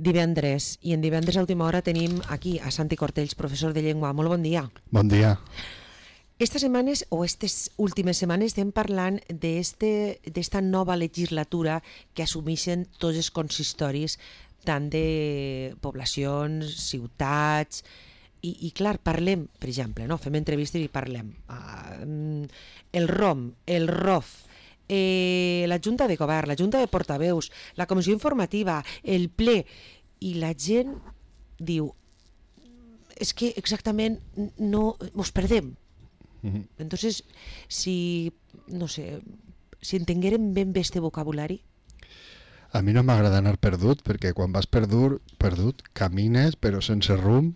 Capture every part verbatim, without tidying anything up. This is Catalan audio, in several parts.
divendres, i en divendres a última hora tenim aquí a Santi Cortells, professor de llengua. Molt bon dia. Bon dia. Estas setmanes, o estas últimes setmanes, estem parlant d'esta nova legislatura que assumeixen tots els consistoris, tant de poblacions, ciutats, i, i clar, parlem, per exemple, no? Fem entrevistes i parlem. Uh, el R O M, el R O F, eh, la Junta de Govern, la Junta de Portaveus, la Comissió Informativa, el ple, i la gent diu, és que exactament no, ens perdem. Uh-huh. Entonces, si, no sé, si entenguérem ben bé este vocabulari. A mi no m'agrada anar perdut, perquè quan vas perdut, perdut camines però sense rumb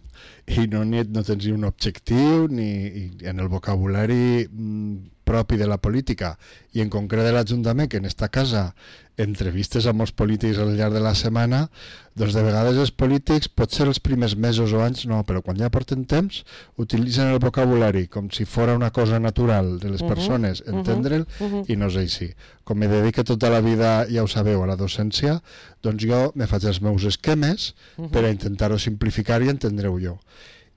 i no, ni, no tens ni un objectiu ni en el vocabulari mm, propi de la política i en concret de l'Ajuntament, que en esta casa entrevistes amb els polítics al llarg de la setmana, doncs de vegades els polítics, potser els primers mesos o anys no, però quan ja porten temps utilitzen el vocabulari com si fora una cosa natural de les uh-huh, persones, entendre'l uh-huh. i no és així. Com me dedico tota la vida, ja ho sabeu, a la docència, doncs jo me faig els meus esquemes uh-huh. per a intentar-ho simplificar i entendre-ho jo.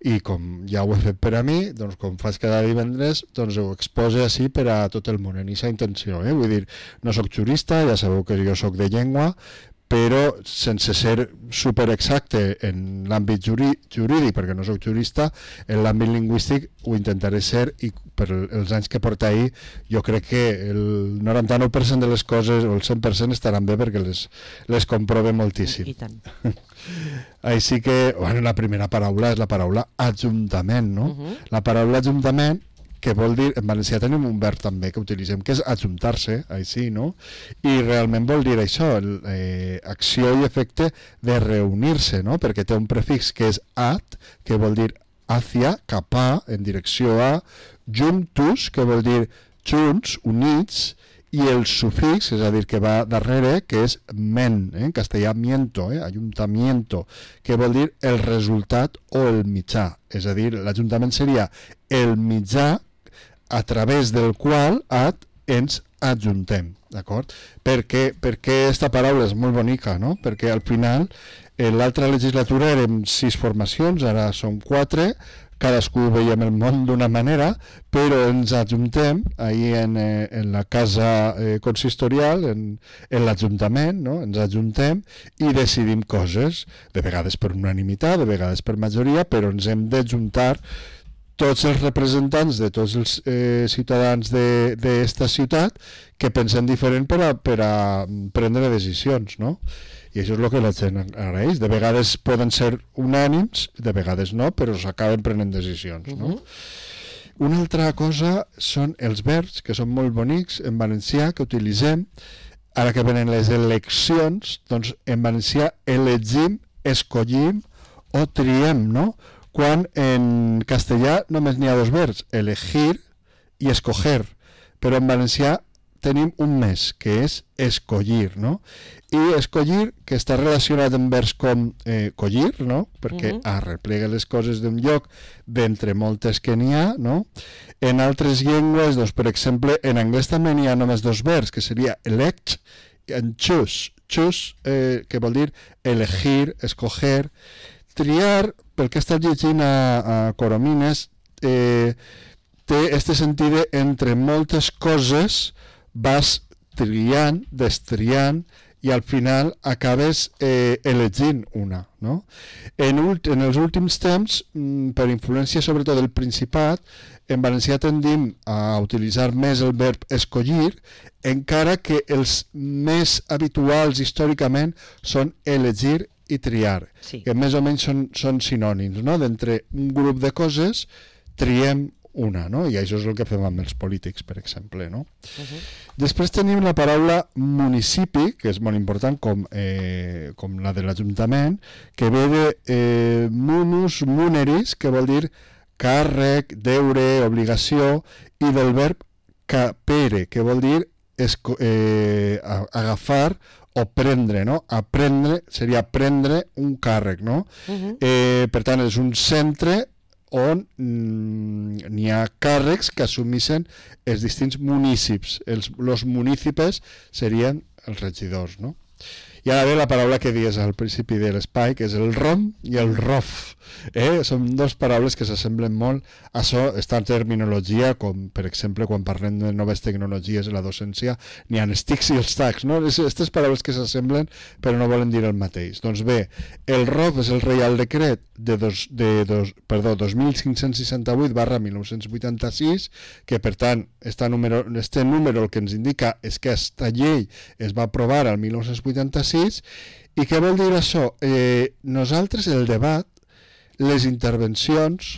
I com ja ho he fet per a mi, doncs com faig cada divendres, doncs ho expose així per a tot el món, en aquesta intenció. Eh? Vull dir, no sóc jurista, ja sabeu que jo sóc de llengua, però sense ser superexacte en l'àmbit jurídic, perquè no sóc jurista, en l'àmbit lingüístic ho intentaré ser i per els anys que porta ahir jo crec que el noranta-nou per cent de les coses o el cent per cent estaran bé perquè les, les comprove moltíssim. I tant. Així que, bueno, la primera paraula és la paraula ajuntament, no? Uh-huh. La paraula ajuntament, que vol dir, en valencià tenim un verb també que utilitzem, que és ajuntar-se, així, no? I realment vol dir això, el, eh, acció i efecte de reunir-se, no? Perquè té un prefix que és at, que vol dir hacia, cap a, en direcció a, juntus, que vol dir junts, units, i el sufix, és a dir, que va darrere, que és men, eh? En castellà miento, eh? Ayuntamiento, que vol dir el resultat o el mitjà. És a dir, l'Ajuntament seria el mitjà a través del qual at ens ajuntem, d'acord? Perquè, perquè esta paraula és molt bonica, no? Perquè al final, en l'altra legislatura érem sis formacions, ara som quatre, cadascú veiem el món d'una manera, però ens ajuntem ahir en, eh, en la casa eh, consistorial, en, en l'Ajuntament, no? Ens ajuntem i decidim coses, de vegades per unanimitat, de vegades per majoria, però ens hem d'ajuntar tots els representants de tots els eh, ciutadans d'esta ciutat que pensen diferent per a, per a prendre decisions, no? I això és el que la gent agraeix. De vegades poden ser unànims, de vegades no, però s'acaben prenent decisions, no? Uh-huh. Una altra cosa són els verbs, que són molt bonics en valencià, que utilitzem. Ara que venen les eleccions, doncs en valencià elegim, escollim o triem, no? Quan en castellà només n'hi ha dos verbs, elegir i escoger, però en valencià tenim un més, que és escollir, no? I escollir, que està relacionat amb verbs com eh, collir, no? Perquè uh-huh. arreplega les coses d'un lloc d'entre moltes que n'hi ha, no? En altres llengües, doncs, per exemple, en anglès també n'hi ha només dos verbs, que seria elect i choose, choose, eh, que vol dir elegir, escoger. Triar, pel que he estat llegint a, a Coromines, eh, té este sentit entre moltes coses vas triant, destriant i al final acabes eh, elegint una, no? En, ult- en els últims temps, mm, per influència sobretot del Principat, en valencià tendim a utilitzar més el verb escollir, encara que els més habituals històricament són elegir i triar, sí. Que més o menys són, són sinònims, no? D'entre un grup de coses triem una, no? I això és el que fem amb els polítics, per exemple, no? Uh-huh. Després tenim la paraula municipi, que és molt important, com, eh, com la de l'Ajuntament, que ve de eh, munus muneris, que vol dir càrrec, deure, obligació, i del verb capere, que vol dir esco- eh, agafar o prendre, no? Aprendre seria prendre un càrrec, no? Uh-huh. Eh, per tant, és un centre on mm, n'hi ha càrrecs que assumeixen els distints municipis. Els los munícipes serien els regidors, no? I ara ve la paraula que dies al principi de l'espai, que és el rom i el rof. Eh? Són dues paraules que s'assemblen molt. Això està en terminologia, com per exemple quan parlem de noves tecnologies en la docència, n'hi ha els tics i els tacs, no? Aquestes paraules que s'assemblen però no volen dir el mateix. Doncs bé, el rof és el Reial Decret de, dos, de dos, perdó, dos mil cinc-cents seixanta-vuit barra mil nou-cents vuitanta-sis, que per tant este número, este número el que ens indica és que aquesta llei es va aprovar al mil nou-cents vuitanta-sis. I què vol dir això? Eh, nosaltres el debat, les intervencions,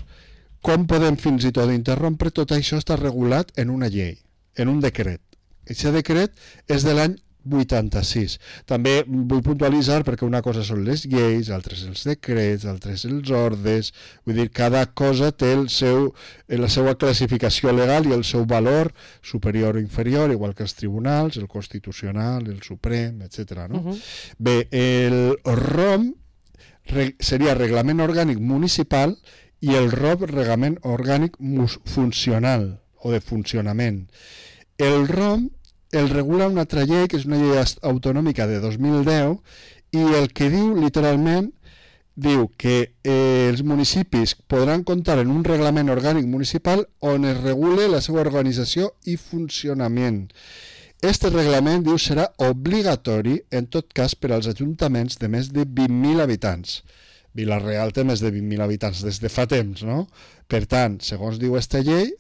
com podem fins i tot interrompre, tot això està regulat en una llei, en un decret. Aquest decret és de l'any vuitanta-sis. També vull puntualitzar perquè una cosa són les lleis, altres els decrets, altres els ordres, vull dir, cada cosa té el seu, la seva classificació legal i el seu valor superior o inferior, igual que els tribunals, el Constitucional, el Suprem, etcètera. No? Uh-huh. Bé, el ROM seria Reglament Orgànic Municipal i el ROP Reglament Orgànic Funcional o de Funcionament. El ROM el regula una altra llei, que és una llei autonòmica de dos mil deu, i el que diu literalment diu que eh, els municipis podran comptar en un reglament orgànic municipal on es regule la seva organització i funcionament. Este reglament, diu, serà obligatori, en tot cas, per als ajuntaments de més de vint mil habitants. Vila-real té més de vint mil habitants des de fa temps, no? Per tant, segons diu aquesta llei,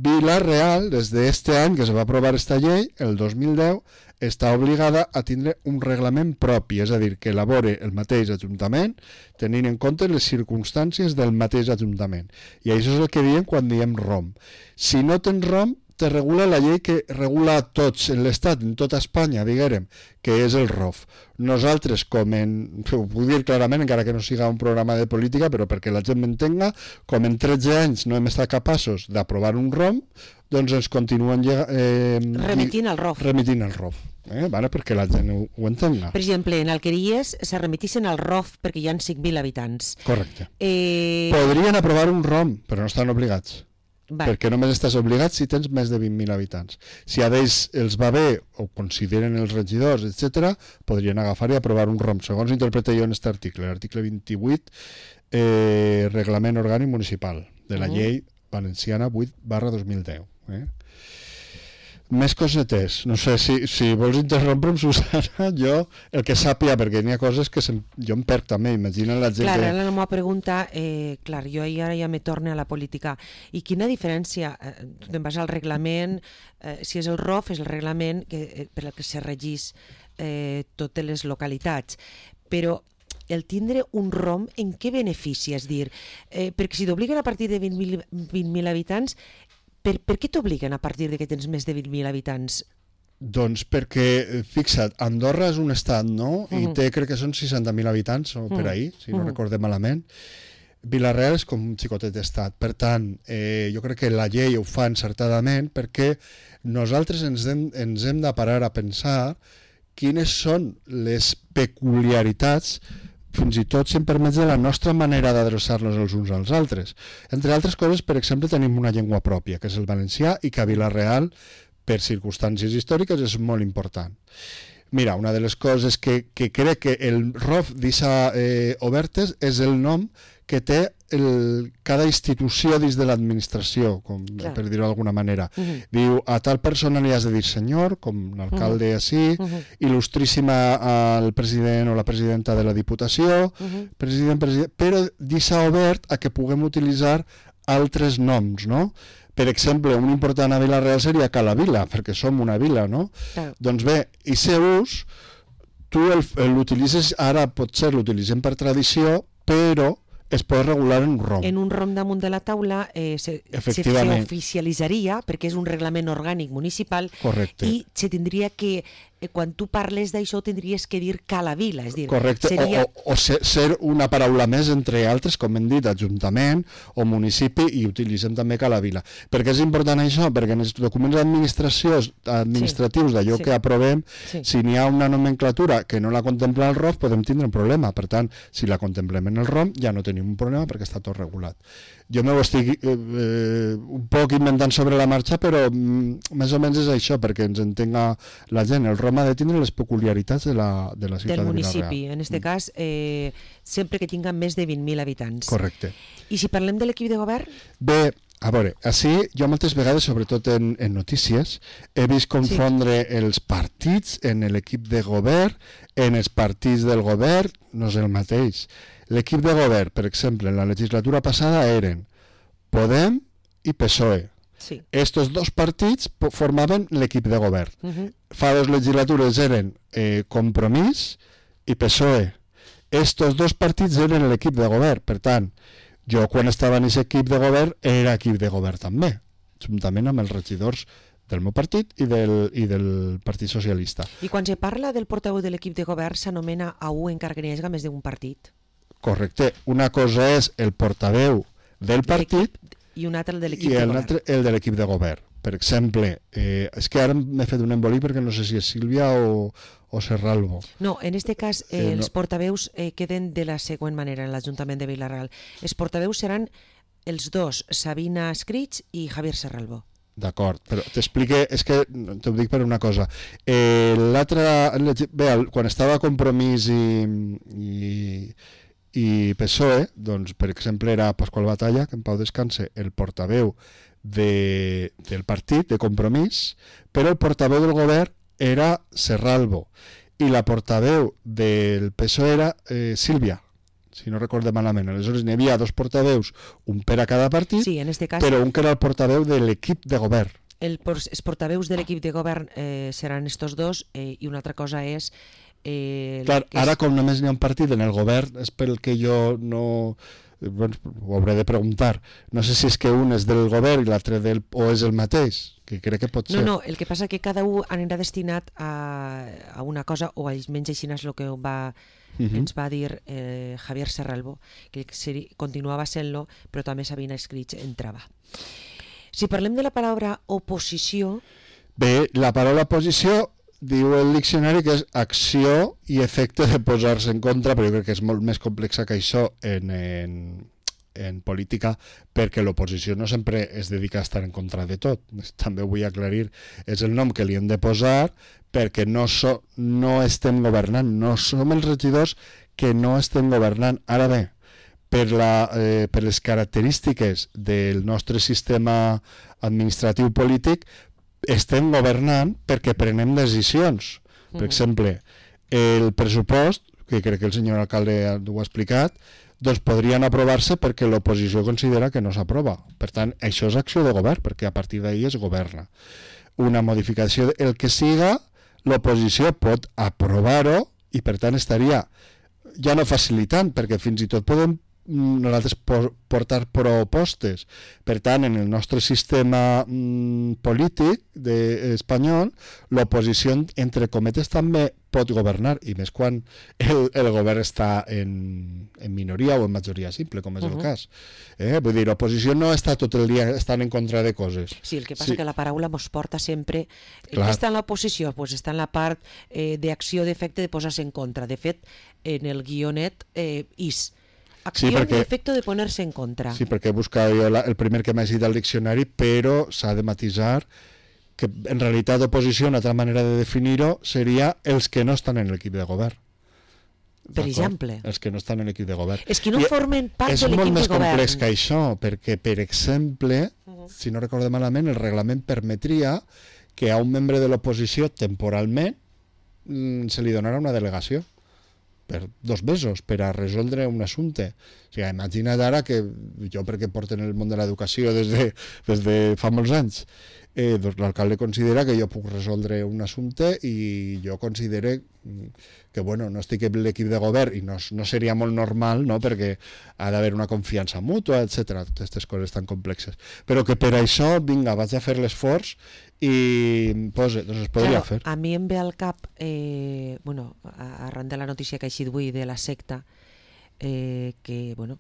Vila-real, des d'aquest any que es va aprovar aquesta llei, el dos mil deu, està obligada a tindre un reglament propi, és a dir, que elabore el mateix ajuntament tenint en compte les circumstàncies del mateix ajuntament. I això és el que diem quan diem ROM. Si no tens ROM, te regula la llei que regula a tots en l'Estat, en tota Espanya, diguérem, que és el ROF. Nosaltres, com en, ho puc dir clarament, encara que no siga un programa de política, però perquè la gent m'entenga, com en tretze anys no hem estat capaços d'aprovar un ROM, doncs ens continuen eh, remitint al ROF. Remitint al ROF. Eh? Vale, perquè la gent ho, ho entenga. Per exemple, en Alqueries se remitissin al ROF perquè hi ha cinc mil habitants. Correcte. Eh... Podrien aprovar un ROM, però no estan obligats. Va. Perquè només estàs obligat si tens més de vint mil habitants. Si a ells els va bé o consideren els regidors, etcètera, podrien agafar i aprovar un ROM. Segons interpreto jo en aquest article, l'article vint-i-vuit, eh, Reglament Orgànic Municipal, de la uh-huh. llei valenciana vuit barra dos mil deu. Eh? Més cosetes. No sé, si, si vols interrompre'm, Susana, jo el que sàpia, perquè n'hi ha coses que se, jo em perc també, imagina la gent... Clar, que... ara la meva pregunta, eh, clar, jo ara ja me torne a la política. I quina diferència? Eh, tu te'n vas al reglament, eh, si és el ROF, és el reglament que, eh, per al que se regís eh, totes les localitats. Però el tindre un ROM, en què beneficia? És dir, eh, perquè si t'obliguen a partir de vint mil habitants, Per, per què t'obliguen a partir de que tens més de vint mil habitants? Doncs perquè, fixa't, Andorra és un estat, no? Uh-huh. I té, crec que són seixanta mil habitants, o per ahir, si no uh-huh. recordem malament. Vila-real és com un xicotet d'estat. Per tant, eh, jo crec que la llei ho fa encertadament perquè nosaltres ens hem, ens hem de parar a pensar quines són les peculiaritats, fins i tot si em permets, de la nostra manera d'adreçar-nos els uns als altres. Entre altres coses, per exemple, tenim una llengua pròpia, que és el valencià, i que a Vila-real, per circumstàncies històriques, és molt important. Mira, una de les coses que, que crec que el ROF deixa eh, obertes és el nom que té el, cada institució dins de l'administració, com, per dir-ho d'alguna manera. Uh-huh. Diu, a tal persona li has de dir senyor, com l'alcalde uh-huh. així, uh-huh. il·lustríssima al president o la presidenta de la Diputació, uh-huh. president, president, però deixa obert a que puguem utilitzar altres noms, no? Per exemple, un important a Vila-real seria Cala Vila, perquè som una vila, no? Claro. Doncs bé, i aquest ús, tu l'utilitzes, ara potser l'utilitzem per tradició, però es pot regular en un ROM. En un ROM damunt de la taula eh, se, se oficialitzaria, perquè és un reglament orgànic municipal. Correcte. I se tindria que, eh, quan tu parles d'això, tindries que dir Cala Vila. És dir, correcte, seria... o, o, o ser, ser una paraula més entre altres, com hem dit, ajuntament o municipi, i utilitzem també Cala Vila. Per què és important això? Perquè en els documents administratius sí. d'allò sí. que aprovem, sí. si n'hi ha una nomenclatura que no la contempla el ROF, podem tindre un problema. Per tant, si la contemplem en el ROM, ja no tenim un problema perquè està tot regulat. jo m'ho estic eh, eh, un poc inventant sobre la marxa, però mm, més o menys és això, perquè ens entenga la gent. El Roma ha de tindre les peculiaritats de la, de la ciutat del de municipi, Vila-real. en este mm. cas, eh, sempre que tinga més de vint mil habitants. Correcte. I si parlem de l'equip de govern? Bé, a veure, així jo moltes vegades, sobretot en, en notícies, he vist confondre sí. els partits en l'equip de govern, en els partits del govern, no és el mateix. L'equip de govern, per exemple, en la legislatura passada eren Podem i P S O E. Sí. Estos dos partits formaven l'equip de govern. Uh-huh. Fa dos legislatures eren eh, Compromís i P S O E. Estos dos partits eren l'equip de govern. Per tant, jo quan estava en aquest equip de govern era equip de govern també, juntament amb els regidors del meu partit i del, i del Partit Socialista. I quan se parla del portaveu de l'equip de govern s'anomena a un encara que n'hi hagi més d'un partit. Correcte. Una cosa és el portaveu del partit i un altre el de l'equip de govern. I l'altre el de l'equip de govern. Per exemple, eh, és que ara m'he fet un embolí perquè no sé si és Sílvia o, o Serralbo. No, en este cas eh, eh, els no. portaveus eh, queden de la següent manera en l'Ajuntament de Vila-real. Els portaveus seran els dos, Sabina Escrits i Javier Serralbo. D'acord, però t'explique, és que t'ho dic per una cosa. Eh, l'altre, bé, quan estava Compromís i... i i P S O E, doncs, per exemple, era Pasqual Batalla, que en pau descanse, el portaveu de, del partit, de Compromís, però el portaveu del govern era Serralbo, i la portaveu del P S O E era eh, Sílvia, si no recorde malament. Aleshores n'hi havia dos portaveus, un per a cada partit, sí, en este cas, però un que era el portaveu de l'equip de govern. El, els portaveus de l'equip de govern eh, seran estos dos, eh, i una altra cosa és Eh, Clar, és... ara com només n'hi ha un partit en el govern, és pel que jo no... Bueno, ho hauré de preguntar. No sé si és que un és del govern i l'altre del... o és el mateix, que crec que pot ser. No, no, el que passa que cada un anirà destinat a, a una cosa, o almenys així és el que va, uh-huh. ens va dir eh, Javier Serralbo, que seri, continuava sent-lo, però també Sabina Escrits entrava. Si parlem de la paraula oposició... Bé, la paraula oposició diu el diccionari que és acció i efecte de posar-se en contra, però jo crec que és molt més complexa que això en, en, en política, perquè l'oposició no sempre es dedica a estar en contra de tot. També ho vull aclarir, és el nom que li hem de posar perquè no, so, no estem governant, no som els regidors que no estem governant. Ara bé, per, la, eh, per les característiques del nostre sistema administratiu polític, estem governant perquè prenem decisions. Per exemple, el pressupost, que crec que el senyor alcalde ho ha explicat, doncs podrien aprovar-se perquè l'oposició considera que no s'aprova. Per tant, això és acció de govern, perquè a partir d'ahir es governa. Una modificació, el que siga, l'oposició pot aprovar-ho i per tant estaria ja no facilitant, perquè fins i tot podem nosaltres portar propostes. Per tant, en el nostre sistema mm, polític de, espanyol, l'oposició, entre cometes, també pot governar, i més quan el, el govern està en, en minoria o en majoria simple, com és uh-huh. el cas. Eh? Vull dir, l'oposició no està tot el dia estant en contra de coses. Sí, el que passa sí. que la paraula mos porta sempre... Clar. Està en l'oposició? Pues està en la part eh, d'acció d'efecte de posar-se en contra. De fet, en el guionet eh, is... Acció sí, perquè, i efecte de poner-se en contra. Sí, perquè he buscat jo la, el primer que m'ha llegit al diccionari, però s'ha de matisar que en realitat oposició, una altra manera de definir-ho, seria els que no estan en l'equip de govern. Per exemple? Els que no estan en l'equip de govern. Els que no I formen part de l'equip de govern. És molt més complex que això, perquè, per exemple, uh-huh. si no recordo malament, el reglament permetria que a un membre de l'oposició, temporalment, se li donarà una delegació per dos mesos, per a resoldre un assumpte. O sigui, imagina't ara que jo, perquè porto en el món de l'educació des de, des de fa molts anys, eh, doncs l'alcalde considera que jo puc resoldre un assumpte i jo considere que bueno, no estic en l'equip de govern i no, no seria molt normal, no? Perquè ha d'haver una confiança mútua, etcètera. Aquestes coses tan complexes. Però que per això, vinga, vaig a fer l'esforç i pues, doncs es podria claro, fer. A mi em ve al cap, eh, bueno, arran de la notícia que ha eixit avui de la secta, eh, que, bueno,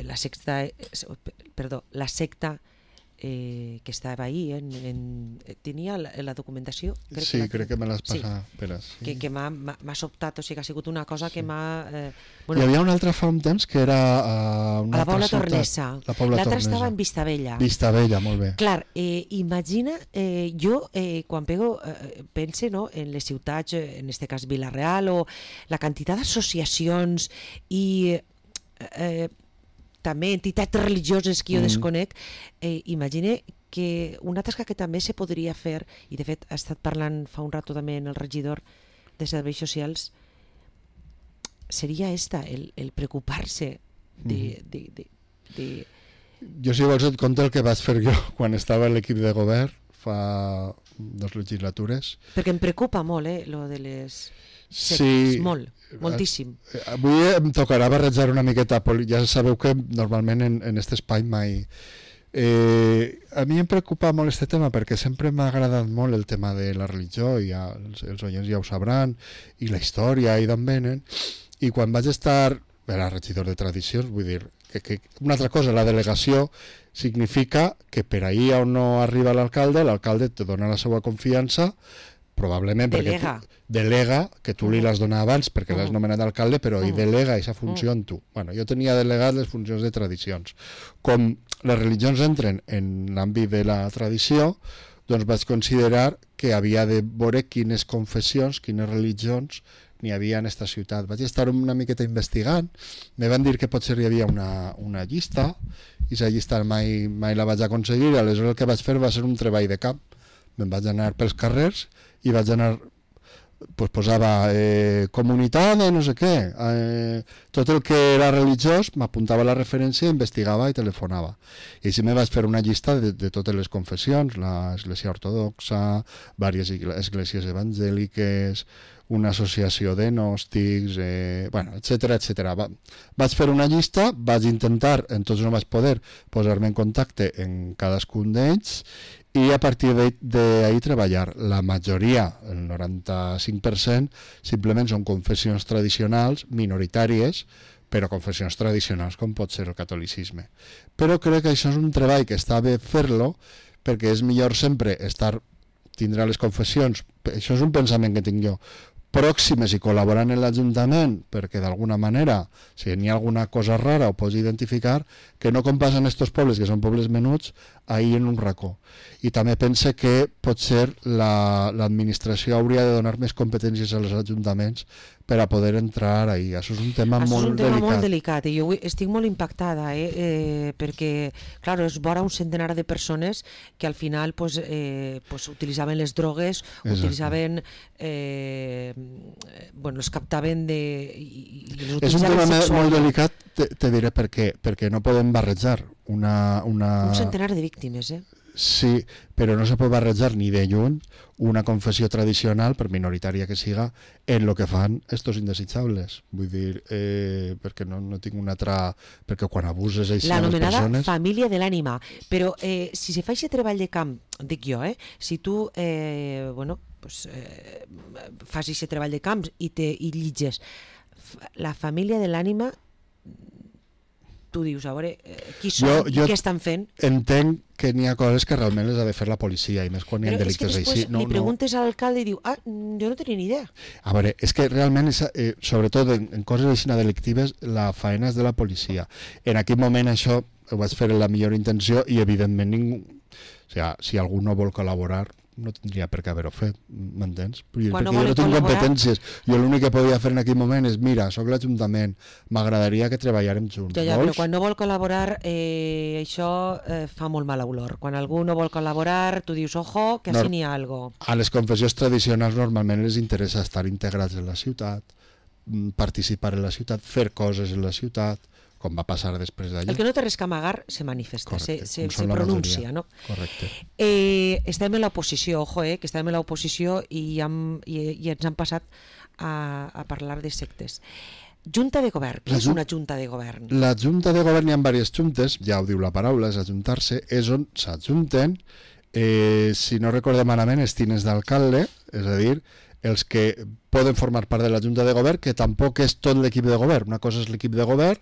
la secta, perdó, la secta eh, que estava ahí, en, en, tenia la, la documentació? Crec sí, que crec que me l'has passat. Sí. Espera, sí. Que, que m'ha sobtat, o sigui, ha sigut una cosa que sí. m'ha... Eh, bueno, hi havia una altra fa un temps que era... Uh, una a la Pobla Tornesa. L'altra estava en Vistabella. Vistabella, molt bé. Clar, eh, imagina, eh, jo eh, quan pego, eh, pense no, en les ciutats, en este cas Vila-real, o la quantitat d'associacions i... Eh, també entitats religioses que jo mm. desconec, eh, imagine que una tasca que també se podria fer, i de fet ha estat parlant fa un rato també en el regidor de Serveis Socials, seria esta, el, el preocupar-se de, mm. de, de, de... Jo, si vols, et conto el que vaig fer jo quan estava a l'equip de govern fa dues legislatures. Perquè em preocupa molt, eh, lo de les... Sí, sectes, molt, moltíssim. Avui em tocarà barrejar una miqueta, ja sabeu que normalment en, en aquest espai mai... Eh, a mi em preocupa molt aquest tema perquè sempre m'ha agradat molt el tema de la religió, i ja, els, els oients ja ho sabran, i la història, i d'on venen, i quan vaig estar, era regidor de tradicions, vull dir, que, que una altra cosa, la delegació significa que per ahir on no arriba l'alcalde, l'alcalde te dona la seva confiança, probablement delega. perquè tu, delega, que tu li l'has donat abans perquè uh-huh. l'has nomenat alcalde, però uh-huh. hi delega aquesta funció uh-huh. en tu. Bueno, jo tenia delegat les funcions de tradicions. Com les religions entren en l'àmbit de la tradició, doncs vaig considerar que havia de veure quines confessions, quines religions n'hi havia en aquesta ciutat. Vaig estar una miqueta investigant, me van dir que potser hi havia una, una llista, i aquesta llista mai, mai la vaig aconseguir, i aleshores el que vaig fer va ser un treball de camp. Me'n vaig anar pels carrers i vaig anar, pues posava eh, comunitat de no sé què, eh, tot el que era religiós, m'apuntava la referència, investigava i telefonava. I així me vaig fer una llista de, de totes les confessions, l'Església Ortodoxa, diverses esglésies evangèliques, una associació de gnòstics, eh, bueno, etcètera, etcètera. Va, vaig fer una llista, vaig intentar, entonces no vaig poder posar-me en contacte en cadascun d'ells, i a partir d'ahir treballar. La majoria, el noranta-cinc per cent, simplement són confessions tradicionals, minoritàries, però confessions tradicionals com pot ser el catolicisme. Però crec que això és un treball que està bé fer-lo, perquè és millor sempre estar, tindrà les confessions, això és un pensament que tinc jo, pròximes i col·laborant en l'Ajuntament, perquè d'alguna manera, si n'hi ha alguna cosa rara ho pots identificar, que no com passa en estos pobles, que són pobles menuts, ahir en un racó. I també pense que potser l'administració la, hauria de donar més competències als ajuntaments per a poder entrar ahí. Això és un tema Això molt delicat. És un tema delicat. molt delicat i jo estic molt impactada, eh? Eh, perquè, clar, és vora un centenar de persones que al final pues, eh, pues, utilitzaven les drogues, Exacte. utilitzaven, eh, bueno, els captaven de... I, i els és un tema sexualment. molt delicat, te, te diré per què, perquè no podem barrejar una, una... Un centenar de víctimes, eh? Sí, però no se pot barrejar ni de lluny una confessió tradicional, per minoritària que siga, en el que fan estos indesitjables. Vull dir, eh, perquè no, no tinc una altra... Perquè quan abuses així a les persones... L'anomenada família de l'ànima. Però eh, si se fa aquest treball de camp, dic jo, eh, si tu eh, bueno, pues, eh, fas aquest treball de camp i, te, i llitges la família de l'ànima, tu dius, a veure, qui són jo, jo i què estan fent? Entenc que n'hi ha coses que realment les ha de fer la policia, i més quan hi ha delictes així. Però és que després no, li preguntes no... a l'alcalde i diu, ah, jo no tenia ni idea. A veure, és que realment, és, eh, sobretot en, en coses així delictives, la faena és de la policia. En aquell moment això ho vaig fer amb la millor intenció i evidentment ningú... O sigui, si algú no vol col·laborar, no tindria per què haver-ho fet, m'entens? Perquè no jo no tinc competències. Jo l'únic que podia fer en aquell moment és, mira, sóc l'Ajuntament, m'agradaria que treballàrem junts. Ja, ja, però quan no vol col·laborar, eh, això eh, fa molt mal olor. Quan algú no vol col·laborar, tu dius, ojo, que així no, n'hi ha algo. A les confessions tradicionals normalment les interessa estar integrats en la ciutat, participar en la ciutat, fer coses en la ciutat, com va passar després d'allà. El que no té res que amagar se manifesta, Correcte, se, se, se pronuncia, no? Correcte. Eh, estem en l'oposició, ojo, eh, que estem en l'oposició i, hem, i, i ens han passat a, a parlar de sectes. Junta de govern, què és una junta de govern? La junta de govern, hi ha diverses juntes, ja ho diu la paraula, és ajuntar-se, és on s'ajunten, eh, si no recordem malament, els tinents d'alcalde, és a dir, els que poden formar part de la Junta de Govern, que tampoc és tot l'equip de govern. Una cosa és l'equip de govern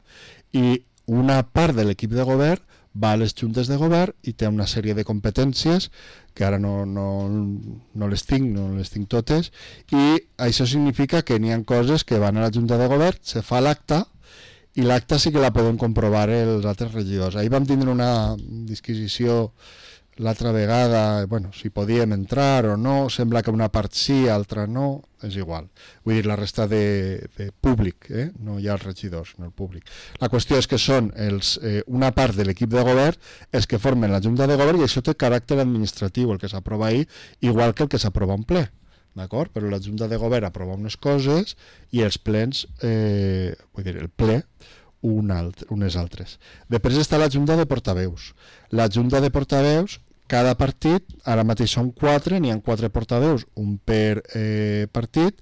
i una part de l'equip de govern va a les juntes de govern i té una sèrie de competències que ara no, no, no les tinc, no les tinc totes, i això significa que n'hi ha coses que van a la junta de govern, se fa l'acta, i l'acta sí que la poden comprovar els altres regidors. Ahir vam tindre una disquisició l'altra vegada, bueno, si podíem entrar o no, sembla que una part sí, altra no, és igual. Vull dir, la resta de, de públic, eh? No hi ha els regidors, no el públic. La qüestió és que són els, eh, una part de l'equip de govern els que formen la junta de govern i això té caràcter administratiu, el que s'aprova ahir, igual que el que s'aprova en ple. D'acord? Però la junta de govern aprova unes coses i els plens, eh, vull dir, el ple, un alt, unes altres. Després està la junta de portaveus. La junta de portaveus, cada partit, ara mateix són quatre, n'hi ha quatre portaveus, un per eh, partit,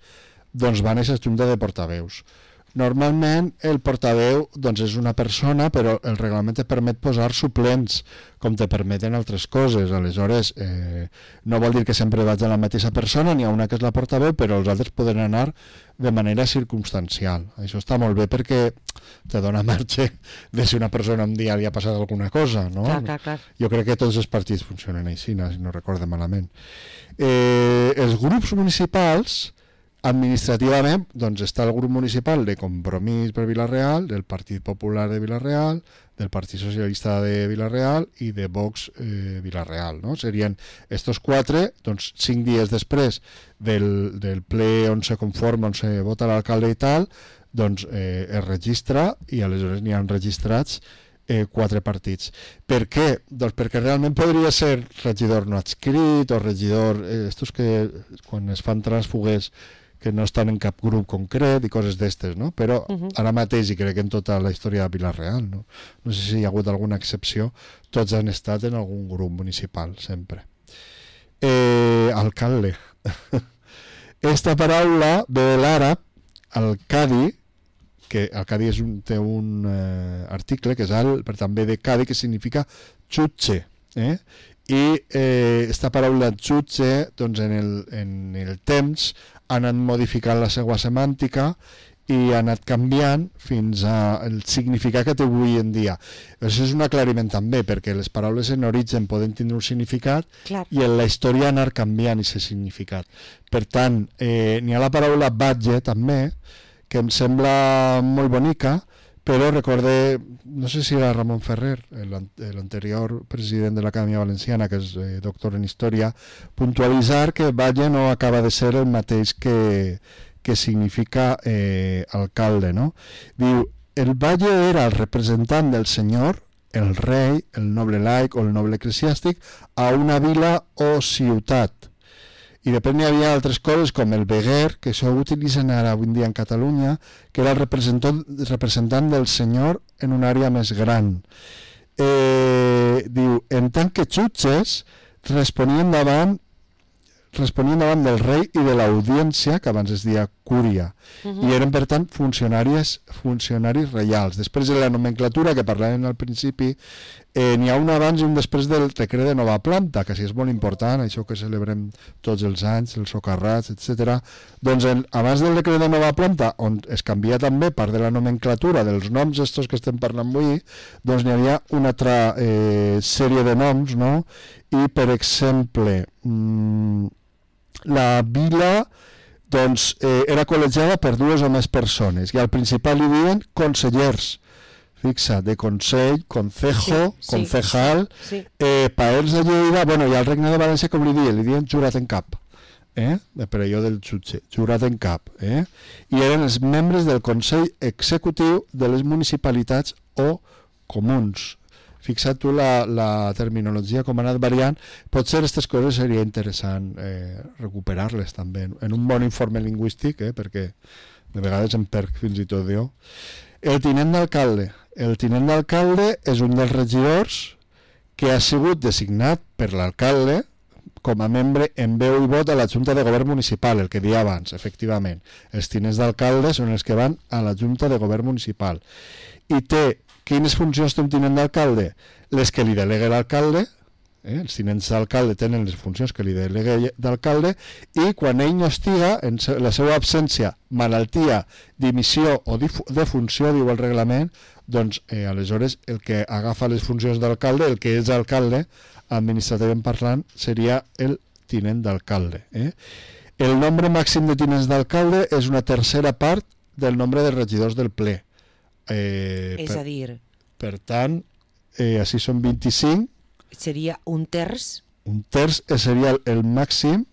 doncs van a aquesta junta de portaveus. Normalment el portaveu doncs, és una persona, però el reglament te permet posar suplents, com te permeten altres coses. Aleshores, eh, no vol dir que sempre vaig a la mateixa persona, n'hi ha una que és la portaveu, però els altres poden anar de manera circumstancial. Això està molt bé perquè te dona marge de si una persona un dia li ha passat alguna cosa, no? Clar, clar, clar. Jo crec que tots els partits funcionen així, si no recordo malament. Eh, els grups municipals, administrativament, doncs està el grup municipal de Compromís per Vila-real, del Partit Popular de Vila-real, del Partit Socialista de Vila-real i de Vox eh, Vila-real, no? Serien estos quatre, doncs cinc dies després del, del ple on se conforma, on se vota l'alcalde i tal, doncs eh, es registra i aleshores n'hi ha registrats eh, quatre partits. Per què? Doncs perquè realment podria ser regidor no adscrit o regidor, eh, estos que quan es fan trànsfugues que no estan en cap grup concret i coses d'estes, no? Però uh-huh. ara mateix, i crec que en tota la història de Vila-real, no? No sé si hi ha hagut alguna excepció, tots han estat en algun grup municipal, sempre. Eh, alcalde. Esta paraula ve de l'àrab, al-Cadi, que el Cadi és un, té un eh, article que és al, per també de Cadi, que significa jutge, eh? I eh, esta paraula jutge, doncs en el, en el temps ha anat modificant la seva semàntica i ha anat canviant fins al significat que té avui en dia. Això és un aclariment també, perquè les paraules en origen poden tindre un significat Clar. I en la història anar canviant aquest significat. Per tant, eh, n'hi ha la paraula batge també, que em sembla molt bonica, però recorde, no sé si era Ramon Ferrer, l'anterior president de l'Acadèmia Valenciana, que és eh, doctor en història, puntualitzar que batlle no acaba de ser el mateix que, que significa eh, alcalde, no? Diu, el batlle era el representant del senyor, el rei, el noble laic o el noble eclesiàstic a una vila o ciutat. I després n'hi havia altres coses com el veguer, que això ho utilitzen ara avui en dia en Catalunya, que era el representant, representant del senyor en una àrea més gran. Eh, diu, en tant que jutges responien davant responien davant del rei i de l'audiència, que abans es deia cúria, uh-huh. i eren, per tant, funcionaris, funcionaris reials. Després de la nomenclatura, que parlàvem al principi, eh, n'hi ha un abans i un després del decret de nova planta, que sí és molt important, això que celebrem tots els anys, els socarrats, etcètera. Doncs el, abans del decret de nova planta, on es canvia també part de la nomenclatura dels noms estos que estem parlant avui, doncs n'hi havia una altra eh, sèrie de noms, no? I, per exemple, mmm, la vila doncs, eh, era col·legiada per dues o més persones i al principal li diuen consellers, fixa, de consell, concejo, sí, concejal, sí, sí. Eh, paers de Lleida, bueno, i al Regne de València com li diuen, li diuen jurat en cap, eh? Per allò del jutge, jurat en cap, eh? I eren els membres del Consell Executiu de les municipalitats o comuns. Fixa't tu la, la terminologia com ha anat variant, potser aquestes coses seria interessant eh, recuperar-les també en un bon informe lingüístic, eh, perquè de vegades em perc fins i tot jo. El tinent d'alcalde. El tinent d'alcalde és un dels regidors que ha sigut designat per l'alcalde com a membre en veu i vot a la Junta de Govern Municipal, el que deia abans, efectivament. Els tinents d'alcalde són els que van a la Junta de Govern Municipal. I té quines funcions té un tinent d'alcalde? Les que li delega l'alcalde, eh? Els tinents d'alcalde tenen les funcions que li delega l'alcalde, i quan ell no estiga, en la seva absència, malaltia, dimissió o defunció, diu el reglament, doncs eh, aleshores el que agafa les funcions d'alcalde, el que és alcalde, administrativament parlant, seria el tinent d'alcalde. Eh? El nombre màxim de tinents d'alcalde és una tercera part del nombre de regidors del ple. Eh, és per, a dir... Per tant, eh, així són vint-i-cinc. Seria un terç? Un terç seria el, el màxim,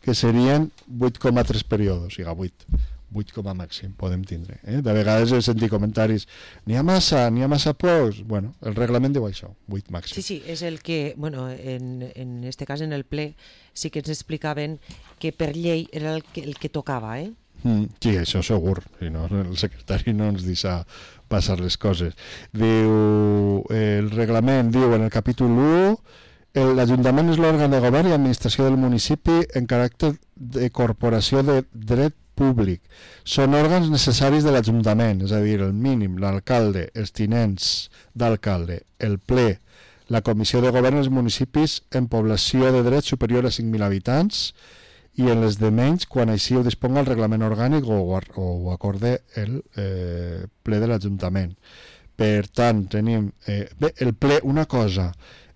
que serien vuit coma tres períodes, o sigui, vuit. vuit com a màxim podem tindre. Eh? De vegades he sentit comentaris, n'hi ha massa, n'hi ha massa pocs. Bueno, el reglament diu això, vuit màxim. Sí, sí, és el que, bueno, en, en este cas en el ple sí que ens explicaven que per llei era el que, el que tocava, eh? Mm, sí, això segur, si no, el secretari no ens deixa passar les coses. Diu, el reglament diu en el capítol u, l'Ajuntament és l'òrgan de govern i administració del municipi en caràcter de corporació de dret públic. Són òrgans necessaris de l'Ajuntament, és a dir, el mínim, l'alcalde, els tinents d'alcalde, el ple, la comissió de govern dels municipis en població de dret superior a cinc mil habitants i en les de menys quan així ho disponga el reglament orgànic o, o ho acorde el eh, ple de l'Ajuntament. Per tant, tenim... Eh, bé, el ple, una cosa,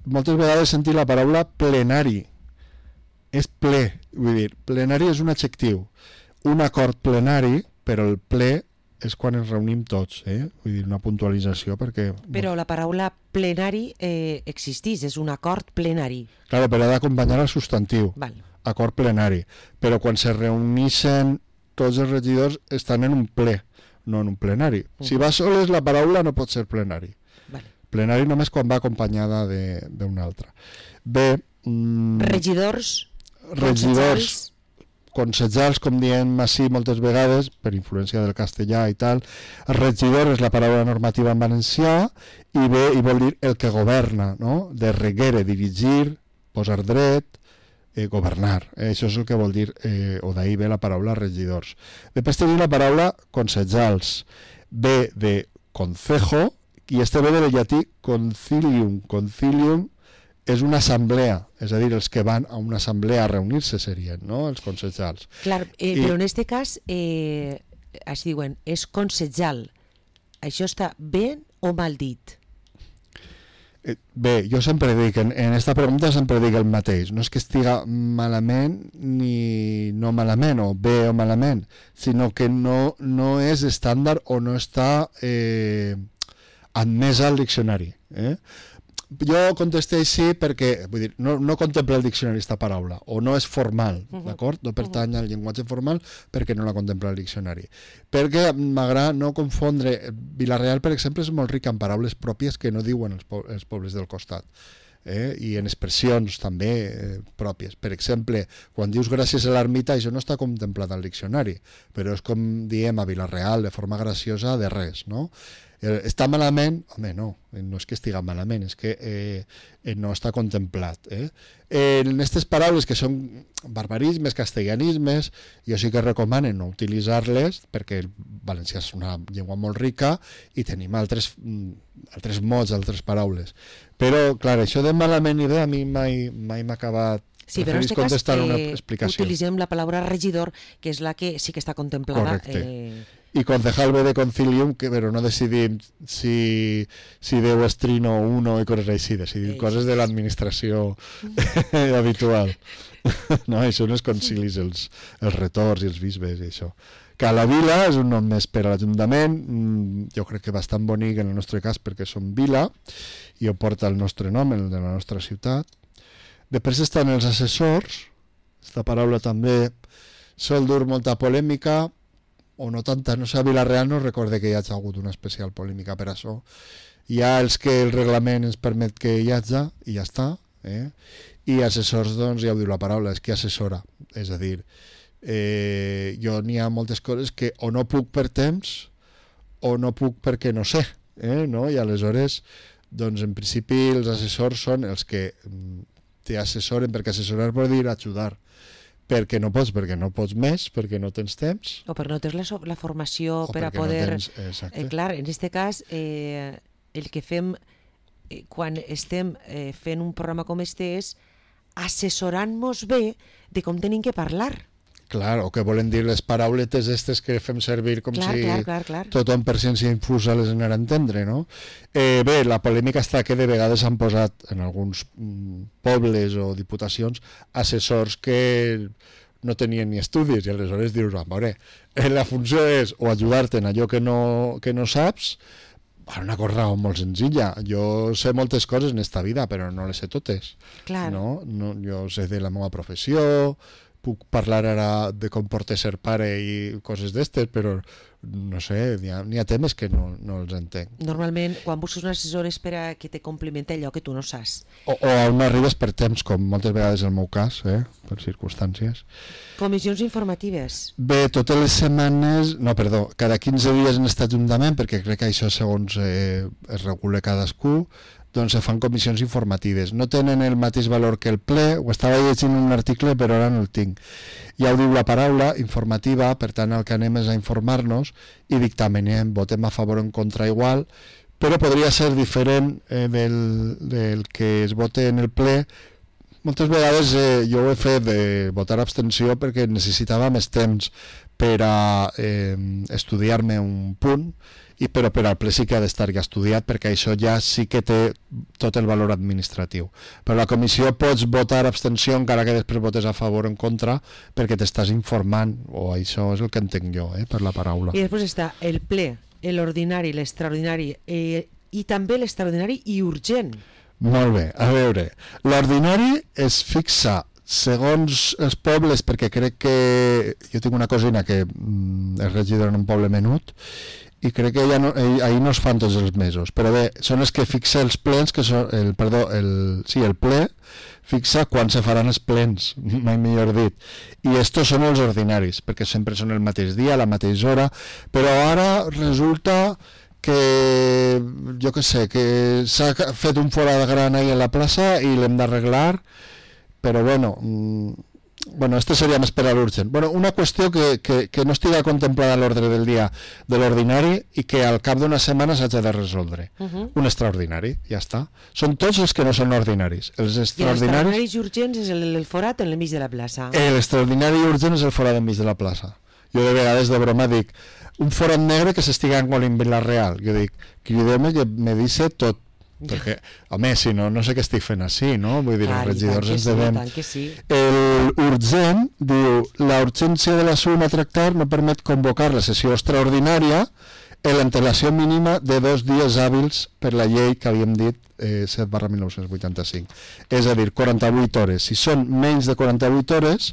moltes vegades sentim la paraula plenari. És ple, vull dir, plenari és un adjectiu. Un acord plenari, però el ple és quan ens reunim tots, eh? Vull dir, una puntualització perquè... Però la paraula plenari eh, existeix, és un acord plenari. Claro, però ha d'acompanyar el substantiu. Val. Acord plenari. Però quan se reuneixen tots els regidors estan en un ple, no en un plenari. Uh -huh. Si va soles la paraula no pot ser plenari. Vale. Plenari només quan va acompanyada d'una altra. Bé... Mm, regidors... Regidors... Consejals, com diem així moltes vegades, per influència del castellà i tal. Regidor és la paraula normativa en valencià i bé, i vol dir el que governa, no? De reguere, dirigir, posar dret, eh, governar. Eh, això és el que vol dir, eh, o d'ahir ve la paraula regidors. Després tenim la paraula consejals. Ve de concejo i este ve del llatí concilium. Concilium és una assemblea, és a dir, els que van a una assemblea a reunir-se serien, no?, els consejals. Clar, eh, I... però en aquest cas, eh, es diuen, és consejal. Això està ben o mal dit? Eh, bé, jo sempre dic, en, en esta pregunta sempre dic el mateix. No és que estiga malament ni no malament, o bé o malament, sinó que no, no és estàndard o no està eh, admesa al diccionari. Eh? Jo contesté així perquè vull dir, no, no contempla el diccionari aquesta paraula, o no és formal, uh -huh. d'acord? No pertany al llenguatge formal perquè no la contempla el diccionari. Perquè m'agrada no confondre... Vila-real, per exemple, és molt rica en paraules pròpies que no diuen els, po els pobles del costat. Eh? I en expressions també eh, pròpies. Per exemple, quan dius gràcies a l'ermita, això no està contemplat al diccionari, però és com diem a Vila-real, de forma graciosa, de res, no? Està malament? Home, no, no és que estiga malament, és que eh, no està contemplat. Eh? En aquestes paraules que són barbarismes, castellanismes, jo sí que recomano no utilitzar-les perquè el valencià és una llengua molt rica i tenim altres, altres mots, altres paraules. Però, clar, això de malament i bé a mi mai, mai m'ha acabat. Sí, però en aquest cas eh, utilitzem la paraula regidor, que és la que sí que està contemplada. Correcte. Eh... I concejal ve de concilium, que, però no decidim si, si Déu és trino o uno i coses així, decidim Eix. coses de l'administració habitual. No, això no és concilis, els, els retors i els bisbes i això. Que a la vila és un nom més per a l'Ajuntament, jo crec que bastant bonic en el nostre cas perquè som vila i ho porta el nostre nom, el de la nostra ciutat. Després estan els assessors, aquesta paraula també sol dur molta polèmica, o no tanta, no sé, a Vila-real no recorde que hi hagi hagut una especial polèmica per això. Hi ha els que el reglament ens permet que hi hagi i ja està, eh? I assessors, doncs, ja ho diu la paraula, és que assessora, és a dir, eh, jo n'hi ha moltes coses que o no puc per temps o no puc perquè no sé, eh? No? I aleshores, doncs, en principi els assessors són els que t'assessoren, perquè assessorar vol dir ajudar, perquè no pots, perquè no pots més, perquè no tens temps. O perquè no tens la, la formació o per a poder... No tens, eh, clar, en aquest cas, eh, el que fem eh, quan estem eh, fent un programa com este és assessorant-nos bé de com tenim que parlar. Clar, o que volen dir les parauletes aquestes que fem servir com clar, si clar, clar, clar. tothom per ciència infusa les anara a entendre, no? Eh, bé, la polèmica està que de vegades han posat en alguns mm, pobles o diputacions assessors que no tenien ni estudis i aleshores dius, a veure, eh, la funció és o ajudar-te en allò que no, que no saps. Una cosa molt senzilla. Jo sé moltes coses en esta vida, però no les sé totes. Clar. No? No, jo sé de la meva professió, puc parlar ara de com porta ser pare i coses d'estes, però no sé, n'hi ha, n'hi ha temes que no, no els entenc. Normalment, quan busques un assessor és per a que te complimenti allò que tu no saps. O, o on arribes per temps, com moltes vegades en el meu cas, eh? Per circumstàncies. Comissions informatives. Bé, totes les setmanes, no, perdó, cada quinze dies en aquest ajuntament, perquè crec que això segons eh, es regula cadascú, doncs se fan comissions informatives. No tenen el mateix valor que el ple, ho estava llegint un article però ara no el tinc. Ja ho diu la paraula, informativa, per tant el que anem és a informar-nos i dictamenem, votem a favor o en contra igual, però podria ser diferent eh, del, del que es vote en el ple. Moltes vegades eh, jo ho he fet de votar abstenció perquè necessitava més temps per a eh, estudiar-me un punt, i però per al ple sí que ha d'estar ja estudiat perquè això ja sí que té tot el valor administratiu. Per la comissió pots votar abstenció encara que després votes a favor o en contra perquè t'estàs informant, o això és el que entenc jo, eh, per la paraula. I després està el ple, l'ordinari, l'extraordinari eh, i també l'extraordinari i urgent. Molt bé, a veure, l'ordinari es fixa segons els pobles, perquè crec que jo tinc una cosina que mm, és regidora en un poble menut i crec que ja no, eh, ahir no es fan tots els mesos, però bé, són els que fixa els plens, que són, el, perdó, el, sí, el ple fixa quan se faran els plens, mai millor dit, i estos són els ordinaris, perquè sempre són el mateix dia, a la mateixa hora, però ara resulta que, jo que sé, que s'ha fet un forat gran ahí en la plaça i l'hem d'arreglar, però bueno, mmm, bueno, este seria més per a l'urgent. Bueno, una qüestió que, que, que no estiga contemplada a l'ordre del dia de l'ordinari i que al cap d'una setmana s'ha de resoldre. Uh -huh. Un extraordinari, ja està. Són tots els que no són ordinaris. Els extraordinaris... I els extraordinaris i urgents és el, el forat en l'enmig de la plaça. L'extraordinari i urgent és el forat enmig de la plaça. Jo de vegades de broma dic, un forat negre que s'estiga engolint Vila Real. Jo dic, crideu-me que me dice tot. Perquè, home, si no, no sé què estic fent així, no? Vull dir, clar, els regidors ens devem... Sí, sí. El urgent diu, la urgència de l'assumpte a tractar no permet convocar la sessió extraordinària en l'antelació mínima de dos dies hàbils per la llei que havíem dit eh, set barra mil nou-cents vuitanta-cinc. És a dir, quaranta-vuit hores. Si són menys de quaranta-vuit hores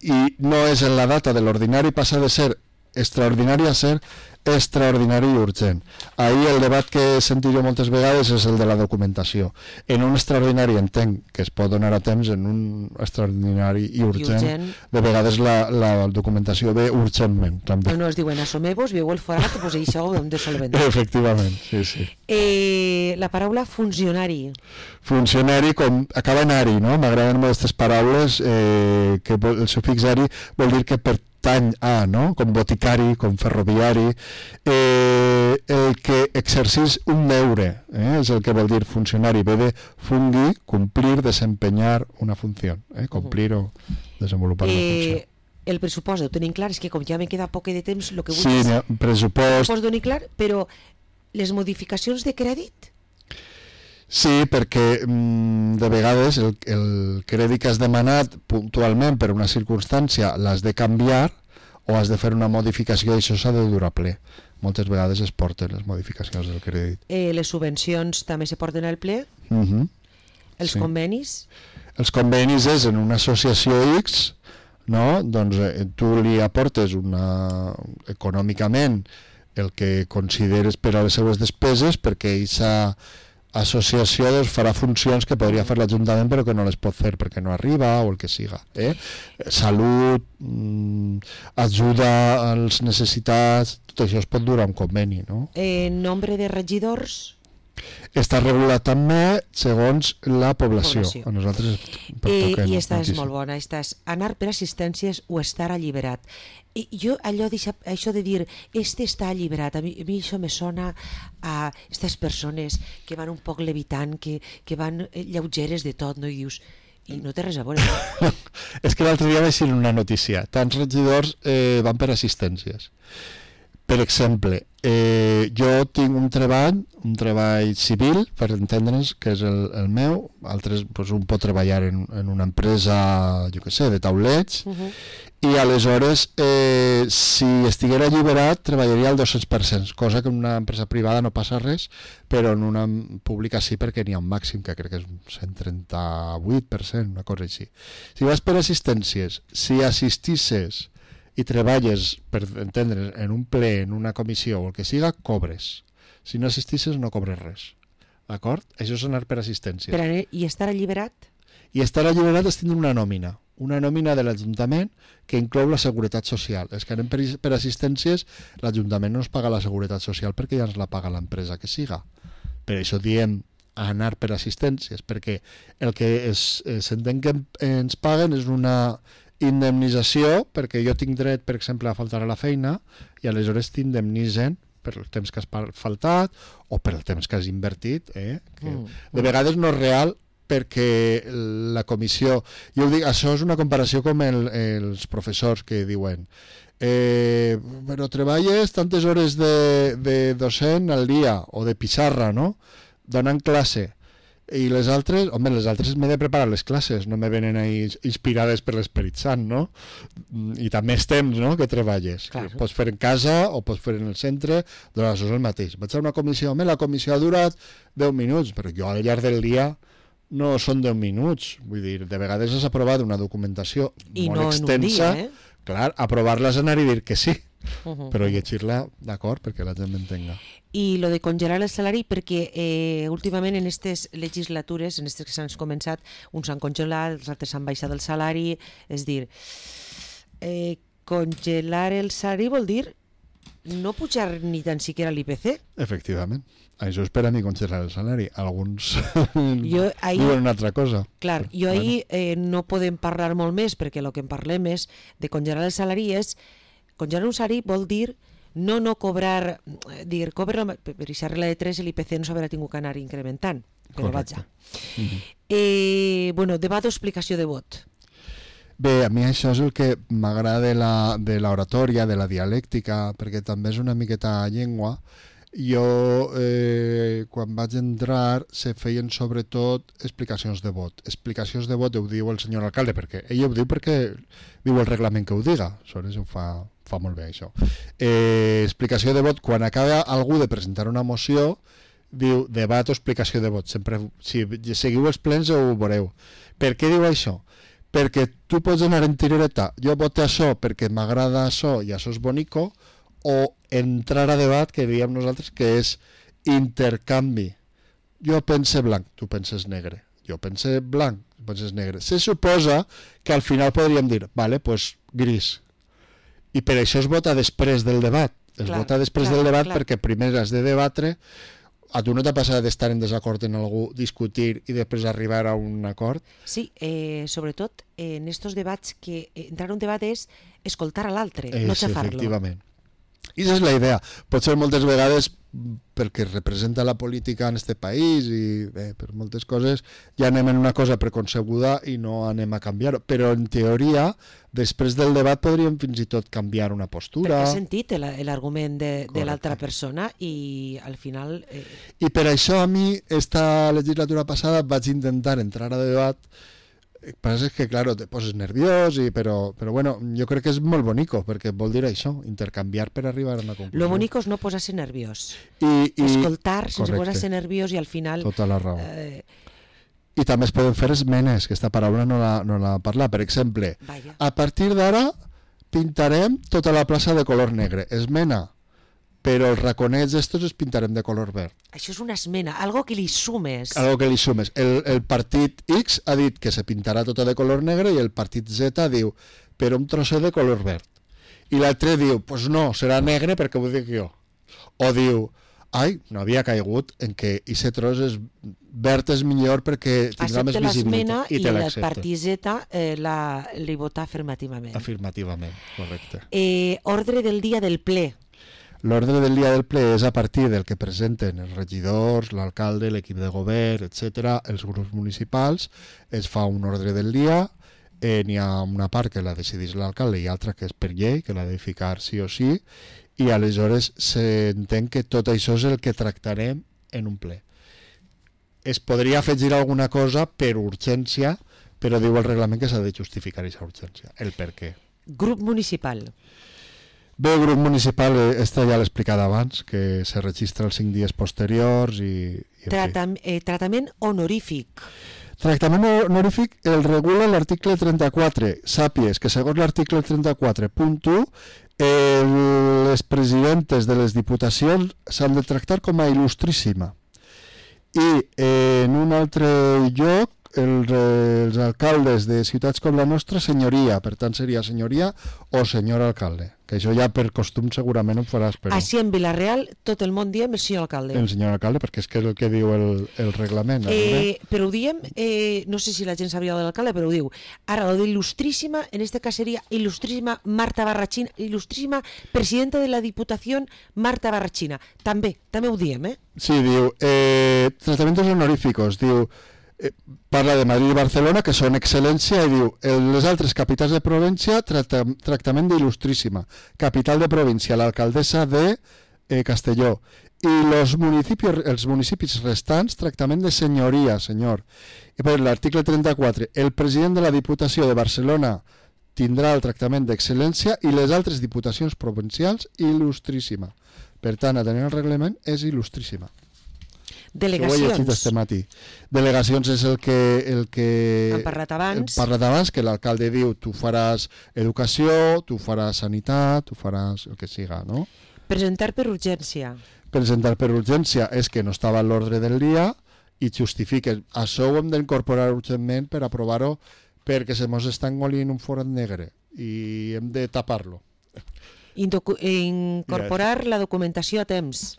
i no és en la data de l'ordinari, passa de ser extraordinari a ser extraordinari i urgent. Ahir el debat que he sentit jo moltes vegades és el de la documentació. En un extraordinari entenc que es pot donar a temps, en un extraordinari i urgent, I urgent. de vegades la, la documentació ve urgentment també. No, no, es diuen assomeu-vos, veieu el forat, pues això ho hem de solventar. Efectivament, sí, sí. Eh, la paraula funcionari. Funcionari, com acaba en ari, no? M'agraden molt aquestes paraules, eh, que el sufix ari vol dir que per tany a, no? Com boticari, com ferroviari, eh, el que exercís un deure, eh? És el que vol dir funcionari, ve de fungir, complir, desempenyar una funció, eh? Complir uh -huh. o desenvolupar eh, una funció. El pressupost ho tenim clar, és que com ja me queda poc de temps, el que vull sí, és... Sí, pressupost... Ho donar clar, però les modificacions de crèdit... Sí, perquè mm, de vegades el, el crèdit que has demanat puntualment per una circumstància l'has de canviar o has de fer una modificació i això s'ha de dur a ple. Moltes vegades es porten les modificacions del crèdit. Eh, les subvencions també se porten al ple? Uh -huh. Els sí. convenis? Els convenis és en una associació X, no? Doncs eh, tu li aportes una... econòmicament el que consideres per a les seues despeses perquè aquesta associació doncs, farà funcions que podria fer l'Ajuntament però que no les pot fer perquè no arriba o el que siga. Eh? Salut, mmm, ajuda als necessitats, tot això es pot dur a un conveni. No? Eh, nombre de regidors? Està regulat també segons la població. població. A nosaltres eh, I esta és molt bona. Esta és anar per assistències o estar alliberat. I jo allò això de dir este està alliberat, a mi, a mi això me sona a aquestes persones que van un poc levitant, que, que van lleugeres de tot, no? I dius, I no té res a veure. És que l'altre dia vaig dir una notícia. Tants regidors eh, van per assistències. Per exemple, eh, jo tinc un treball, un treball civil, per entendre'ns, que és el, el meu, altres, doncs un pot treballar en, en una empresa, jo què sé, de taulets, uh-huh. I aleshores, eh, si estiguera alliberat, treballaria al dos-cents per cent, cosa que en una empresa privada no passa res, però en una pública sí, perquè n'hi ha un màxim, que crec que és un cent trenta-vuit per cent, una cosa així. Si vas per assistències, si assistisses i treballes, per entendre's, en un ple, en una comissió o el que siga, cobres. Si no assistisses no cobres res. D'acord? Això és anar per assistències. Per anar, I estar alliberat? I estar alliberat és tindre una nòmina. Una nòmina de l'Ajuntament que inclou la Seguretat Social. Els que anem per, per assistències, l'Ajuntament no ens paga la Seguretat Social perquè ja ens la paga l'empresa que siga. Per això diem anar per assistències, perquè el que s'entén que ens paguen és una indemnització, perquè jo tinc dret, per exemple, a faltar a la feina i aleshores t'indemnitzen per el temps que has faltat o per el temps que has invertit, eh? Que mm. de vegades no és real perquè la comissió... Jo ho dic, això és una comparació com el, els professors que diuen eh, però treballes tantes hores de, de docent al dia o de pissarra, no? Donant classe. I les altres, home, les altres m'he de preparar les classes, no me venen ahí inspirades per l'Esperit Sant, no? I també els temps, no?, que treballes. Claro. Pots fer en casa o pots fer en el centre, doncs això és el mateix. Vaig a una comissió, home, la comissió ha durat deu minuts, però jo al llarg del dia no són deu minuts. Vull dir, de vegades has aprovat una documentació I molt no extensa. En un dia, eh? Clar, aprovar-la és anar i dir que sí. Uh-huh. Però llegir-la, d'acord, perquè la gent m'entenga. I lo de congelar el salari, perquè eh, últimament en aquestes legislatures, en aquestes que s'han començat, uns s'han congelat, els altres s'han baixat el salari, és dir, eh, congelar el salari vol dir no pujar ni tan siquiera l'I P C. Efectivament. Això és per a mi congelar el salari. Alguns jo ahí, diuen una altra cosa. Clar, jo bueno. ahir eh, no podem parlar molt més, perquè el que en parlem és de congelar el salari és congelar un salari vol dir no no cobrar, dir, cobra, per aquesta regla de tres l'I P C no s'haurà tingut que anar incrementant, però vaja. Uh-huh. Eh, bueno, debat o explicació de vot. Bé, a mi això és el que m'agrada de l'oratòria, de la dialèctica, perquè també és una miqueta llengua. Jo, eh, quan vaig entrar, se feien sobretot explicacions de vot. Explicacions de vot ho diu el senyor alcalde, perquè ell ho diu perquè diu el reglament que ho diga. Aleshores ho fa, fa molt bé, això. Eh, explicació de vot, quan acaba algú de presentar una moció, diu debat o explicació de vot. Sempre, si seguiu els plens ho veureu. Per què diu això? Perquè tu pots anar en tirereta, jo voto això perquè m'agrada això i això és bonico, o entrar a debat, que diem nosaltres, que és intercanvi. Jo pense blanc, tu penses negre. Jo pense blanc, tu penses negre. Se suposa que al final podríem dir, vale, pues gris. I per això es vota després del debat. Es clar, vota després clar, del debat clar. Perquè primer has de debatre. A tu no t'ha passat d'estar en desacord en algú, discutir i després arribar a un acord? Sí, eh, sobretot en estos debats que entrar a un debat és escoltar a l'altre, no xafar-lo. Efectivament. I aquesta és la idea. Potser moltes vegades, perquè representa la política en este país i bé, per moltes coses, ja anem en una cosa preconcebuda i no anem a canviar. Però en teoria, després del debat podríem fins i tot canviar una postura. Perquè he sentit l'argument de, de l'altra persona i al final... Eh... I per això a mi, esta legislatura passada, vaig intentar entrar a debat. El que passa és que, claro, te poses nerviós, i, però, però bueno, jo crec que és molt bonico, perquè vol dir això, intercanviar per arribar a una conclusió. Lo bonico és no posar-se nerviós. I, i... Escoltar sense posar-se nerviós i al final... Tota la raó. Eh... I també es poden fer esmenes, que aquesta paraula no la, no la parla. Per exemple, Vaya. A partir d'ara pintarem tota la plaça de color negre. Esmena. Però els raconets estos els pintarem de color verd. Això és una esmena, algo que li sumes. Algo que li sumes. El, el partit X ha dit que se pintarà tota de color negre i el partit Z diu, però un trosset de color verd. I l'altre diu, pues no, serà negre perquè ho dic jo. O diu, ai, no havia caigut en que aquest tros és verd és millor perquè tindrà més visibilitat. I te l'accepta. I el partit Z eh, la, li vota afirmativament. Afirmativament, correcte. Eh, ordre del dia del ple. L'ordre del dia del ple és a partir del que presenten els regidors, l'alcalde, l'equip de govern, etcètera, els grups municipals, es fa un ordre del dia, eh, n'hi ha una part que la decideix l'alcalde i altra que és per llei, que l'ha de ficar sí o sí, i aleshores s'entén que tot això és el que tractarem en un ple. Es podria afegir alguna cosa per urgència, però diu el reglament que s'ha de justificar aquesta urgència, el per què. Grup municipal. Bé, el grup municipal, esta ja l'he explicat abans, que se registra els cinc dies posteriors i... i Tratam eh, tratament honorífic. Tractament honorífic el regula l'article trenta-quatre. Sàpies que segons l'article trenta-quatre punt u eh, les presidentes de les diputacions s'han de tractar com a il·lustríssima. I eh, en un altre lloc el, els alcaldes de ciutats com la nostra, senyoria, per tant seria senyoria o senyor alcalde, que això ja per costum segurament ho faràs. Però... Així en Vila-real tot el món diem el senyor alcalde. El senyor alcalde, perquè és que és el que diu el, el reglament. Eh, però ho diem, eh, no sé si la gent sabia de l'alcalde, però ho diu. Ara, lo d'il·lustríssima, en este cas seria il·lustríssima Marta Barrachina, il·lustríssima presidenta de la Diputació Marta Barrachina. També, també ho diem, eh? Sí, diu, eh, tratamientos honoríficos, diu, eh, parla de Madrid i Barcelona, que són excel·lència, i diu, en les altres capitals de província, tracta, tractament d'il·lustríssima. Capital de província, l'alcaldessa de eh, Castelló. I los municipios, els municipis restants, tractament de senyoria, senyor. I per l'article trenta-quatre, el president de la Diputació de Barcelona tindrà el tractament d'excel·lència i les altres diputacions provincials, il·lustríssima. Per tant, atenent el reglament, és il·lustríssima. Delegacions. Este matí. Delegacions és el que... El que hem parlat abans. Hem parlat abans, que l'alcalde diu tu faràs educació, tu faràs sanitat, tu faràs el que siga, no? Presentar per urgència. Presentar per urgència és que no estava a l'ordre del dia i justifiques. Això ho hem d'incorporar urgentment per aprovar-ho perquè se mos està engolint un forat negre i hem de tapar-lo. Incorporar la documentació a temps.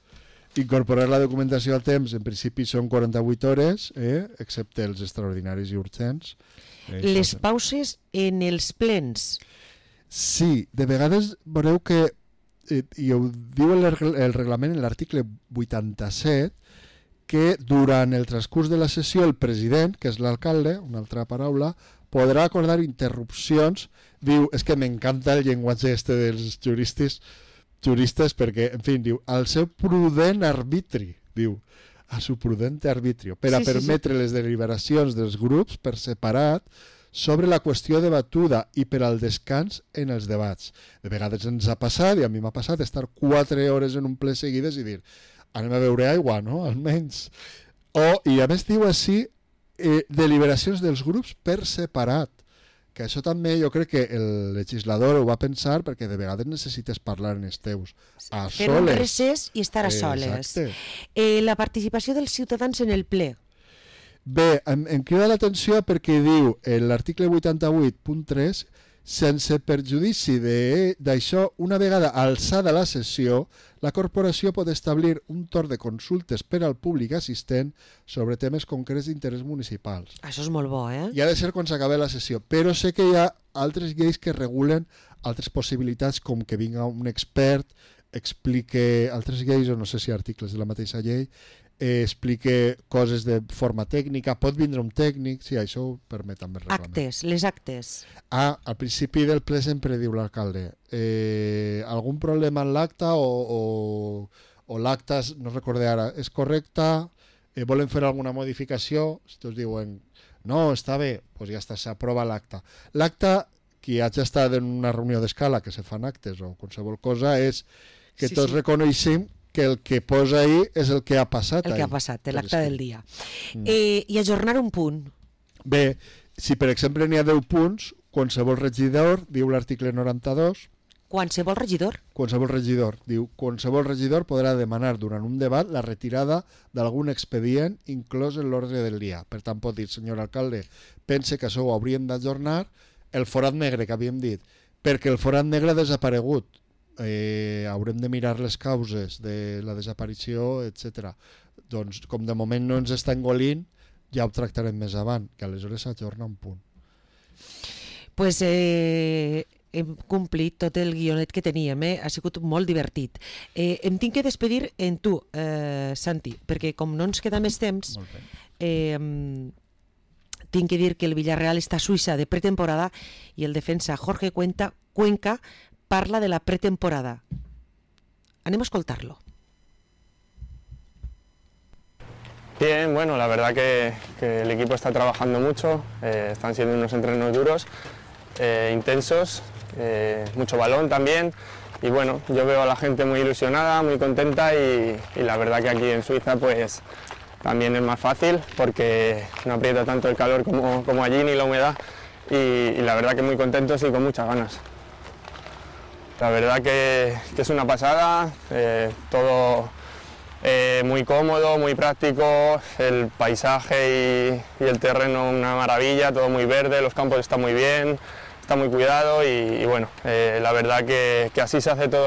Incorporar la documentació a temps, en principi són quaranta-vuit hores, eh? Excepte els extraordinaris i urgents. Eh, Les pauses en els plens. Sí, de vegades veureu que, eh, i ho diu el, el reglament en l'article vuitanta-set, que durant el transcurs de la sessió el president, que és l'alcalde, una altra paraula, podrà acordar interrupcions. Diu, és que m'encanta el llenguatge este dels juristes, juristes perquè, en fi, diu, al seu prudent arbitri, diu, a su prudente arbitrio, per a sí, permetre sí, sí. les deliberacions dels grups per separat sobre la qüestió debatuda i per al descans en els debats. De vegades ens ha passat, i a mi m'ha passat, estar quatre hores en un ple seguides i dir, anem a beure aigua, no?, almenys. O, i a més diu així, eh, deliberacions dels grups per separat. Que això també jo crec que el legislador ho va pensar perquè de vegades necessites parlar en els teus a soles. Fer un recés i estar a soles. Eh, la participació dels ciutadans en el ple. Bé, em, em crida l'atenció perquè diu en l'article vuitanta-vuit punt tres sense perjudici d'això, una vegada alçada la sessió, la corporació pot establir un torn de consultes per al públic assistent sobre temes concrets d'interès municipals. Això és molt bo, eh? I ha de ser quan s'acabi la sessió, però sé que hi ha altres lleis que regulen altres possibilitats, com que vinga un expert, explique altres lleis, o no sé si articles de la mateixa llei, eh, explique coses de forma tècnica, pot vindre un tècnic, sí, això ho permet també el reglament. Actes, les actes. Ah, al principi del ple sempre diu l'alcalde, eh, algun problema en l'acta o, o, o l'acta, no recordé ara, és correcta, eh, volen fer alguna modificació, si tots diuen, no, està bé, doncs ja està, s'aprova l'acta. L'acta, qui hagi estat en una reunió d'escala que se fan actes o qualsevol cosa, és que sí, tots sí. reconeixem que el que posa ahí és el que ha passat. El que ahí, ha passat, l'acte del dia. Mm. Eh, I ajornar un punt. Bé, si per exemple n'hi ha deu punts, qualsevol regidor, diu l'article noranta-dos... Qualsevol regidor? Qualsevol regidor. Diu, qualsevol regidor podrà demanar durant un debat la retirada d'algun expedient inclòs en l'ordre del dia. Per tant, pot dir, senyor alcalde, pense que això ho hauríem d'ajornar, el forat negre que havíem dit, perquè el forat negre ha desaparegut. Eh, haurem de mirar les causes de la desaparició, etcètera. Doncs, com de moment no ens està engolint, ja ho tractarem més avant, que aleshores s'ajorna un punt. Pues eh, hem complit tot el guionet que teníem, eh? Ha sigut molt divertit. Eh, em tinc que despedir en tu, eh, Santi, perquè com no ens queda més temps, eh, tinc que dir que el Villarreal està a Suïssa de pretemporada i el defensa Jorge Cuenca, Cuenca parla de la pretemporada. Anem a escoltar-lo. Bien, bueno, la verdad que, que el equipo está trabajando mucho, eh, están siendo unos entrenos duros, eh, intensos, eh, mucho balón también y bueno, yo veo a la gente muy ilusionada, muy contenta y, y la verdad que aquí en Suiza pues también es más fácil porque no aprieta tanto el calor como, como allí ni la humedad y, y la verdad que muy contentos y con muchas ganas. La verdad que, que es una pasada, eh, todo eh, muy cómodo, muy práctico, el paisaje y, y el terreno una maravilla, todo muy verde, los campos están muy bien, está muy cuidado y, y bueno, eh, la verdad que, que así se hace todo.